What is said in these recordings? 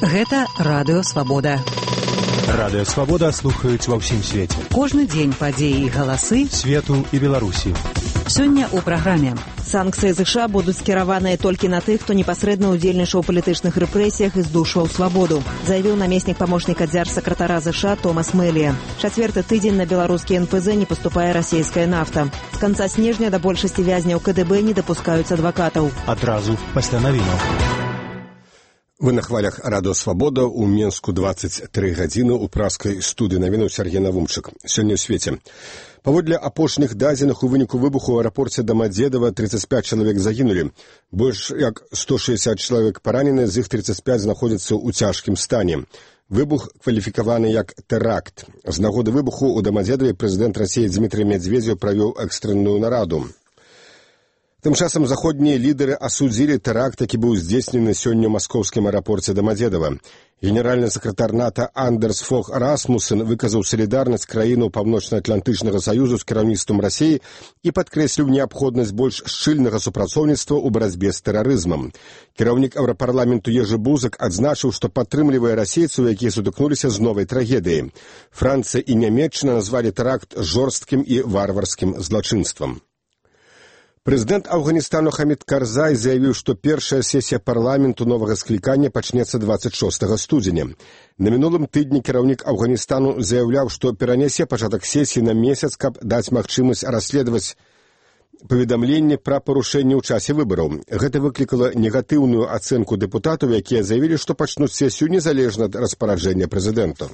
Гэта Радыё Свабода. Радыё Свабода слухаюць ва ўсім свеце. Кожны дзень падзеі і галасы свету і Беларусі. Сёння ў праграме. Санкцыі США будуць скіраваныя толькі на тых, хто непасрэдна ўдзельнічаў у палітычных рэпрэсіях і здушваў свабоду, заявіў намеснік памочніка дзяржсакратара США Томас Мэлія. Чацвёрты тыдзень на беларускі НПЗ не паступае расійская нафта. З канца снежня да большасці вязняў КДБ не дапускаюць адвакатаў. Адразу пасля навінаў. Вы на хвалях Радыё Свабода, у Менску 23 гадзіны, у праскай студыі навінаў Сергей Навумчык. Сёння ў свеце. Паводле апошніх дадзеных у выніку выбуху ў аэрапорце Дамадзедава 35 чалавек загінулі. Больш як 160 чалавек паранены, з іх 35 знаходзяцца ў цяжкім стане. Выбух кваліфікаваны як тэракт. З нагоды выбуху ў Дамадзедаве прэзідэнт Расіі Дзмітрый Медведзеў правёў экстранную нараду. Тым часам заходнія лідары асудзілі тэракт, які быў здзейснены сёння ў маскоўскім аэрапорце Дамадзедава. Генеральны сакратар НАТО Андерс Фог Расмуссен выказаў салідарнасць краінаў Паўночна-Атлантычнага саюзу з кіраўніцтвам Расіі і падкрэсліў неабходнасць больш шчыльнага супрацоўніцтва ў барацьбе з тэрарызмам. Кіраўнік Еўрапарламенту Ежы Бузак адзначыў, што падтрымлівае расейцаў, якія сутыкнуліся з новай трагедыяй. Францыя і Нямецчына назвалі тэракт жорсткім і варварскім злачынствам. Прэзідэнт Афганістану Хамід Карзай заявіў, што першая сесія парламенту новага склікання пачнецца 26 студзеня. На мінулым тыдні кіраўнік Афганістану заяўляў, што перанясе пачатак сесіі на месяц, каб даць магчымасць расследаваць паведамленні пра парушэнні ў часе выбараў. Гэта выклікала негатыўную ацэнку дэпутатаў, якія заявілі, што пачнуць сесію незалежна ад распараджэння прэзідэнта.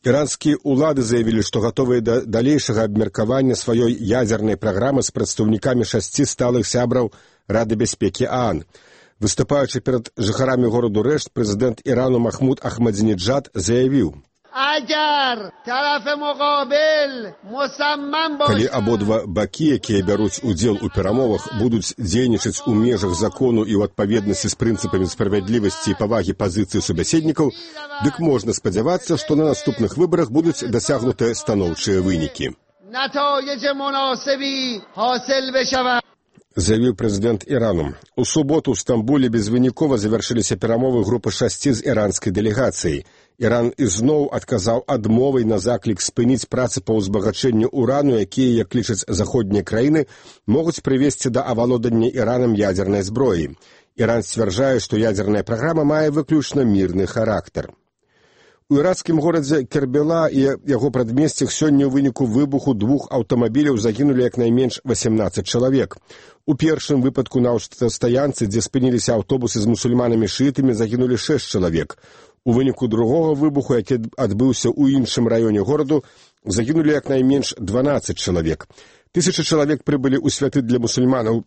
Іранскія ўлады заявілі, што гатовыя да далейшага абмеркавання сваёй ядзернай праграмы з прадстаўнікамі 6 сталых сябраў Рады бяспекі ААН. Выступаючы перад жыхарамі гораду Рэшт, прэзідэнт Ірану Махмуд Ахмадзінеджад заявіў: калі абодва бакі, якія бяруць удзел у перамовах, будуць дзейнічаць у межах закону і ў адпаведнасці з прынцыпамі справядлівасці і павагі пазіцыі субяседнікаў, дык можна спадзявацца, што на наступных выбарах будуць дасягнутыя станоўчыя вынікі. Заявіў прэзідэнт Ірану. У суботу ў Стамбуле безвынікова завяршыліся перамовы групы 6 з іранскай дэлегацыяй. Іран ізноў адказаў адмовай на заклік спыніць працы па ўзбагачэнню урану, якія, як лічаць заходнія краіны, могуць прывесці да авалодання Іранам ядзернай зброі. Іран сцвярджае, што ядзерная праграма мае выключна мірны характар. У іракскім горадзе Кербела і яго прадмесцях сёння ў выніку выбуху 2 аўтамабіляў загінулі як найменш 18 чалавек. У першым выпадку на аўтастаянцы, дзе спыніліся аўтобусы з мусульманамі-шыітамі, загінулі 6 чалавек. У выніку другога выбуху, які адбыўся ў іншым раёне гораду, загінулі як найменш 12 чалавек. Тысячы чалавек прыбылі ў святы для мусульманаў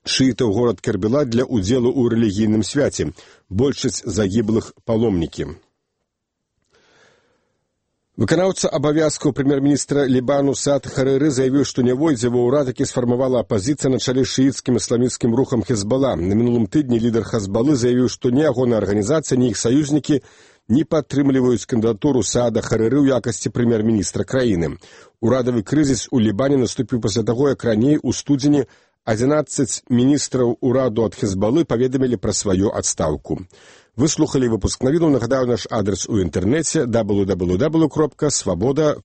шыітаў горад Кербела для ўдзелу ў рэлігійным свяце. Большасць загіблых паломнікі. Выканаўца абавязкаў прэм'ер-міністра Лібану Саад Харыры заявіў, што не войдзе ва ўрад, які сфармавала апазіцыя на чале шыіцкім ісламісцкім рухам Хезбала. На мінулым тыдні лідар Хезбалы заявіў, што ні ягоная арганізацыя, ні іх саюзнікі не падтрымліваюць кандыдатуру Саада Харыры ў якасці прэм'ер-міністра краіны. Урадавы крызіс у Лібане наступіў пасля таго, як раней у студзені 11 міністраў ураду ад Хезбалы паведамілі пра сваю адстаўку. Вы слухалі выпуск навінаў. Нагадаю, наш адрес у інтэрнэце www.swaboda.org.